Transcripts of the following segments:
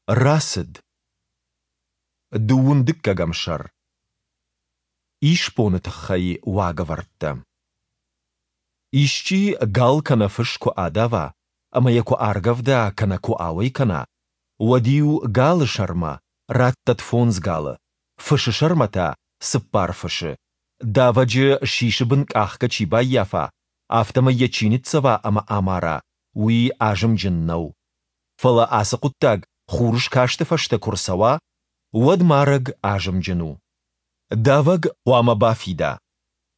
Рацыд. Дыууын дыккӕгӕм сӕр. Исбоны тыххӕй уагӕвӕрдтӕ. Исчи гал кӕнӕ фыс куы адава ӕмӕ йӕ куы аргӕвда кӕнӕ куы ауӕй кӕна, уӕд-иу галы сӕрмӕ раттӕд фондз галы, фысы сӕрмӕ та цыппар фысы. Давӕджы сисы бын къахгӕ чи баййафа, афтӕмӕй йӕ чи ныццӕва ӕмӕ амара, уый азымджын нӕу. Фӕлӕ ацы хъуыддаг хурыскасты фӕстӕ куы рцӕуа, уӕд марӕг азымджын у. Давӕг хъуамӕ бафида.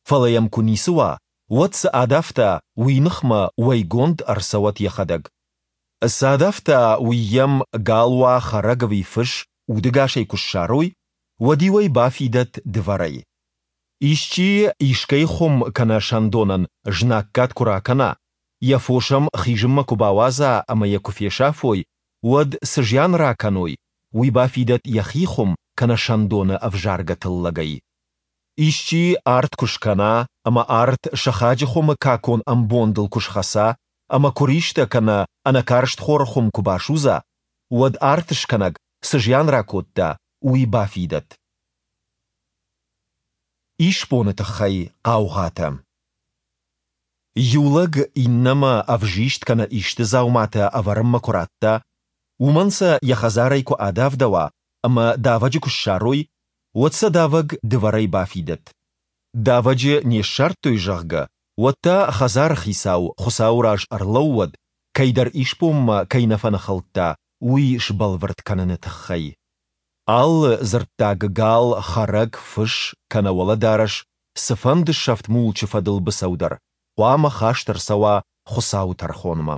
Фӕлӕ йӕм куы ницы уа, уӕд цы адавта, уый ныхмӕ уӕйгонд ӕрцӕуӕд йӕхӕдӕг. Цы адавта, уый йӕм, гал уа, хӕрӕг ӕви фыс, удӕгасӕй куы ссарой, уӕд-иу ӕй бафидӕд дывӕрӕй. Исчи искӕй хуым кӕнӕ сӕндонӕн знаггад куы ракӕна, йӕ фос ӕм хизынмӕ куы бауадза ӕмӕ йӕ куы фесафой, уӕд цы зиан ракӕной, уый бафидӕд йӕхи хуым кӕнӕ сӕндоны ӕвзаргӕ тыллӕгӕй. Исчи арт куы скӕна ӕмӕ арт сыхаджы хуымы какон ӕмбондыл куы схӕца ӕмӕ куыристӕ кӕнӕ ӕнӕкарст хоры хуым куы басудза, уӕд арт скӕнӕг цы зиан ракодта, уый бафидӕд. Исбоны тыххӕй хъаугъатӕ. Иу лӕг иннӕмӕ ӕвзист кӕнӕ исты дзауматӕ ӕвӕрынмӕ куы радта, уымӕн сӕ йӕ хӕдзарӕй куы адавдӕуа ӕмӕ давӕджы куы ссарой, уӕд сӕ давӕг дывӕрӕй бафидӕд. Давӕджы не ссардтой, зӕгъгӕ, уӕд та хӕдзары хицау Хуыцауы раз ӕрлӕууӕд, кӕйдӕр исбонмӕ кӕй нӕ фӕныхылдта, уый сбӕлвырд кӕныны тыххӕй. Алы дзырддаг гал, хӕрӕг, фыс кӕнӕ уӕлӕдарӕс, цыфӕнды сӕфт мулчы фӕдыл быцӕу дӕр хъуамӕ хаст ӕрцӕуа Хуыцауы тӕрхонмӕ.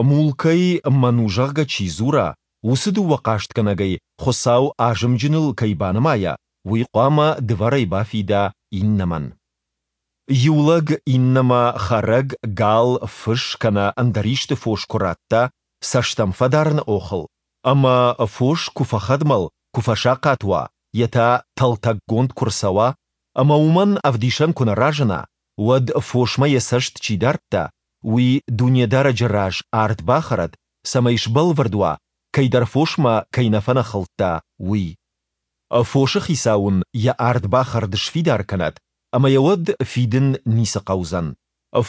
Мулкӕй мӕн у, зӕгъгӕ, чи дзура, уыцы дыууӕ хъастгӕнӕгӕй Хуыцау азымджыныл кӕй банымайа, уый хъуамӕ дывӕрӕй бафида иннӕмӕн. Иу лӕг иннӕмӕ хӕрӕг, гал, фыс кӕнӕ ӕндӕр исты фос куы радта цӕст ӕм фӕдарыны охыл, ӕмӕ фос куы фӕхӕдмӕл, куы фӕсахъат уа, йе та тӕлтӕггонд куы рцӕуа, ӕмӕ уымӕн ӕвдисӕн куы нӕ разына, уӕд фосмӕ йӕ цӕст чи дардта, уый Дунедарӕджы раз ард бахӕрӕд, цӕмӕй сбӕлвырд уа, кӕйдӕр фосмӕ кӕй нӕ фӕныхылдта, уый. Фосы хицау ын йӕ ардбахӕрд сфидар кӕнӕд, ӕмӕ йӕ уӕд фидын ницы хъӕудзӕн.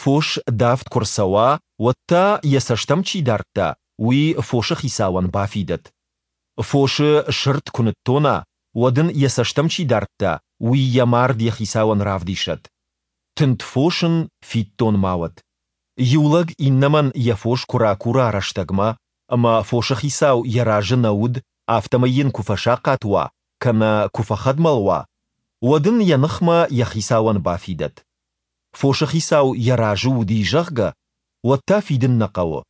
Фос давд куы рцӕуа, уӕд та, йӕ цӕст ӕм чи дардта, уый фосы хицауӕн бафидӕд. Фосы сырд куы ныттона, уӕд ын йӕ цӕст ӕм чи дардта, уый йӕ мард йӕ хицауӕн равдисӕд. Тынд фос ын фиддон ма уӕд. Иу лӕг иннӕмӕн йӕ фос куы ракура рӕстӕгмӕ, ӕмӕ фосы хицау йӕ разы нӕ уыд, афтӕмӕй йын куы фӕсахъат уа кӕнӕ куы фӕхӕдмӕл уа, уӕд ын йӕ ныхмӕ йӕ хицауӕн бафидӕд. Фосы хицау йӕ разы уыди, зӕгъгӕ, уӕд та фидын нӕ хъӕуы.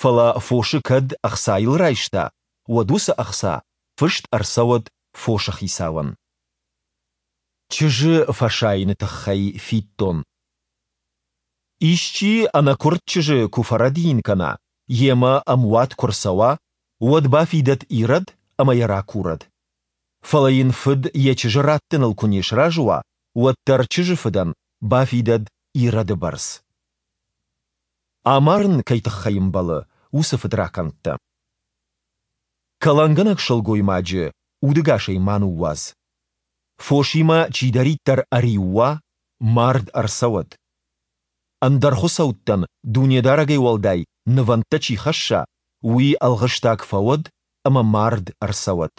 Фӕлӕ фосы кӕд ӕхцайыл райста, уӕд уыцы ӕхца фыст ӕрцӕуӕд фосы хицауӕн. Чызджы фӕсайыны тыххӕй фиддон. Исчи ӕнӕкуырд чызджы куы фӕрӕдийын кӕна, йемӕ ӕмуат куы рцӕуа, уӕд бафидӕд ирӕд ӕмӕ йӕ ракурӕд. Фӕлӕ йын фыд йӕ чызджы раттыныл куы не сразы уа, уӕд дӕр чызджы фыдӕн бафидӕд ирӕды бӕрц. Амарын кӕй тыххӕй ӕмбӕлы, уыцы фыдракӕндтӕ. Кӕлӕнгӕнӕг сылгоймаджы удӕгасӕй ма ныууадз. Фосимӕ чидӕриддӕр ӕриу уа, мард ӕрцӕуӕд. Ӕндӕр хуыцӕуттӕн Дунедарӕгӕй уӕлдай нывӕндтӕ чи хӕсса, уый ӕлгъыстаг фӕуӕд ӕмӕ мард ӕрцӕуӕд.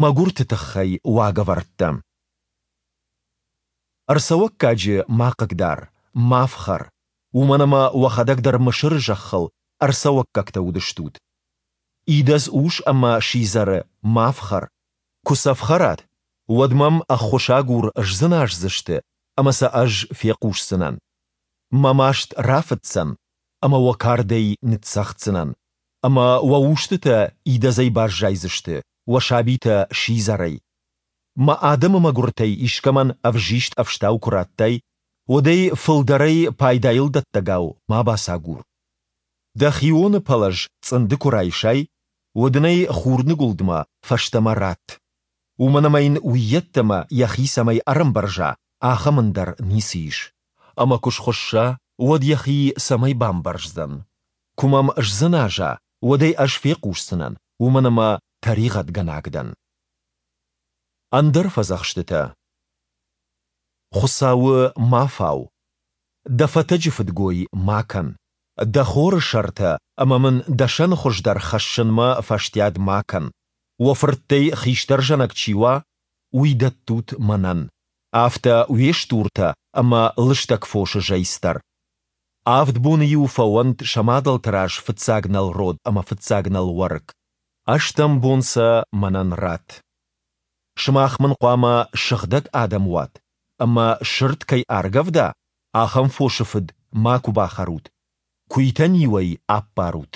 Мӕгуырты тыххӕй уагӕвӕрдтӕ. Ӕрцӕуӕггаджы ма хъыгдар, ма фхӕр, уымӕн ӕмӕ уӕхӕдӕг дӕр Мысыры зӕххыл ӕрцӕуӕггӕгтӕ уыдыстут. Идӕдз ус ӕмӕ сидзӕры ма фхӕр. Куы сӕ фхӕрат, уӕд мӕм ӕххуысагур сдзыназдзысты, ӕмӕ сӕ ӕз фехъусдзынӕн. Мӕ маст рафыцдзӕн, ӕмӕ уӕ кардӕй ныццӕгъддзынӕн, ӕмӕ уӕ устытӕ идӕдзӕй баззайдзысты, уӕ сабитӕ сидзӕрӕй. Мӕ адӕмы мӕгуыртӕй искӕмӕн ӕвзист ӕфстау куы радтай, уӕд ӕй фылдӕрӕй пайдайыл дӕттӕгау ма бацагур. Дӕ хионы пӕлӕз цъынды куы райсай, уӕд ын ӕй хурныгуылдмӕ фӕстӕмӕ ратт. Уымӕн ӕмӕ йын уыййеддӕмӕ йӕхи цӕмӕй ӕрӕмбӕрза, ахӕм ӕндӕр ницы ис. Ӕмӕ куы схуысса, уӕд йӕхи цӕмӕй бамбӕрздзӕн? Куы мӕм сдзыназа, уӕд ӕй ӕз фехъусдзынӕн, уымӕн ӕмӕ тӕригъӕдгӕнаг дӕн. Ӕндӕр фӕдзӕхстытӕ. Хуыцауы ма фау. Дӕ фӕтӕджы фыдгой ма кӕн. Дӕ хоры сӕртӕ ӕмӕ мын дӕ сӕны хуыздӕр хӕссынмӕ фӕстиат ма кӕн. Уӕ фырттӕй хистӕр зӕнӕг чи уа, уый дӕттут мӕнӕн. Афтӕ уе стуртӕ ӕмӕ лыстӕг фосы зӕйц дӕр. Авд боны-иу фӕуӕнт сӕ мадӕлты раз фыццаг нӕл род ӕмӕ фыццаг нӕл уӕрыкк. Ӕстӕм бон сӕ мӕнӕн ратт. Сымах мын хъуамӕ сыгъдӕг адӕм уат, ӕмӕ сырд кӕй аргӕвда, ахӕм фосы фыд макуы бахӕрут, куыйтӕн-иу ӕй аппарут.